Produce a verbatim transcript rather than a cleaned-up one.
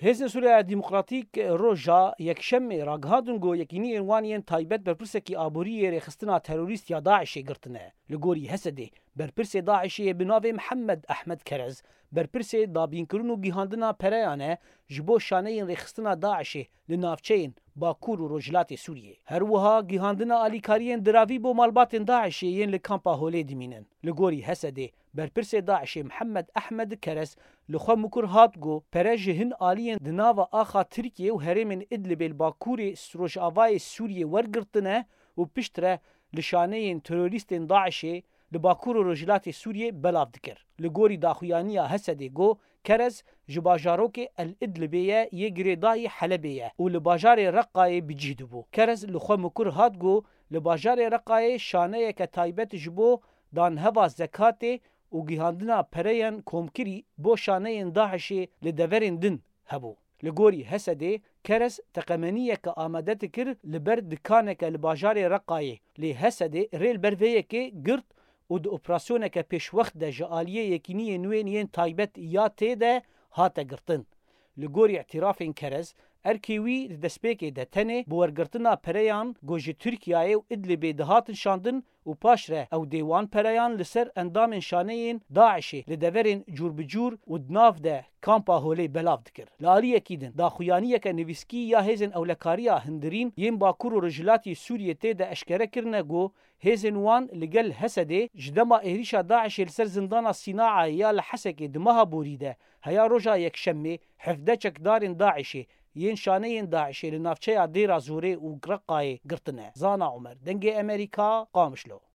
Hêzên Sûriya Demokratîk roja Yekşemê ragihandin ku yekîniyên wan yên taybet berpirsekî aborî yê rêxistina terorîst ya DAIŞê girtine. Li gorî Hesedê, berpirsê DAIŞê yê bi navê Mihemed Ehmed Kerez, berpirsê dabînkirin û gihandina pereyan e ji bo şaneyên rêxistina DAIŞê li navçeyên Bakur û Rojhilatê Sûriyê. Her wiha gihandina alîkariyên diravî bo malbatên DAIŞê yên li kampa Holê dimînin. Li gorî Hesedê, berpirsê DAIŞê Mihemed Ehmed Kerez li xwe mikur hat ku pere ji hin aliyên di nava axa Tirkiyê û herêmên Idlibê li bakurê rojavayê Sûriyê wergirtine û piştre li şaneyên terorîstên DAIŞê li Bakur û Rojhilatê Sûriyê belav dikir. Li gorî daxuyaniya Hesedê got, Kerez ji bajarokê El Idlibê ye yê girêdayî Helebê ye û li bajarê Reqayê bi cih dibû. Kerez li xwe mikur hat got, li bajarê Reqayê şaneyeke taybet ji bo danheva zekatê û gihandina pereyan komkirî bo şaneyên DAIŞê li deverên din hebû. Li gorî Hesedê, Kerez teqemeniyeke amade dikir li ber dikaneke li bajarê Reqayê. Lê Hesedê rê li ber vê yekê girt û di operasyoneke pêşwext de ji aliyê yekîniyên wên yên taybet ya tê de hate girtin. Li gorî îtirafên Kerez, erkê wî di destpêkê de tenê bi wergirtina pereyan ku ji Tirkiyeyê û Idlibê dihatin şandin û paşre ew dê wan pereyan li ser endamên şaneyên DAIŞê li deverên cûr bi cûr û di nav de kampa Holê belav dikir. Li aliyekî din, daxuyaniyeke nivîskî ya hêzên ewlekariya hundirîn yên Bakur û Rojhilatî Sûriyê tê de eşkere kirine ku hêzên wan li gel Hesedê ji dema êrîşa DAIŞê li ser zindana Sînaayê ya li Hesekê di meha borî de heya roja Yekşemê hevdeh çekdarên DAIŞê yên şaneyên DAIŞê li navçeya Dêra Zorê û Reqayê girtine. Zana Omer, Dengê Emerîka, Qamişlo.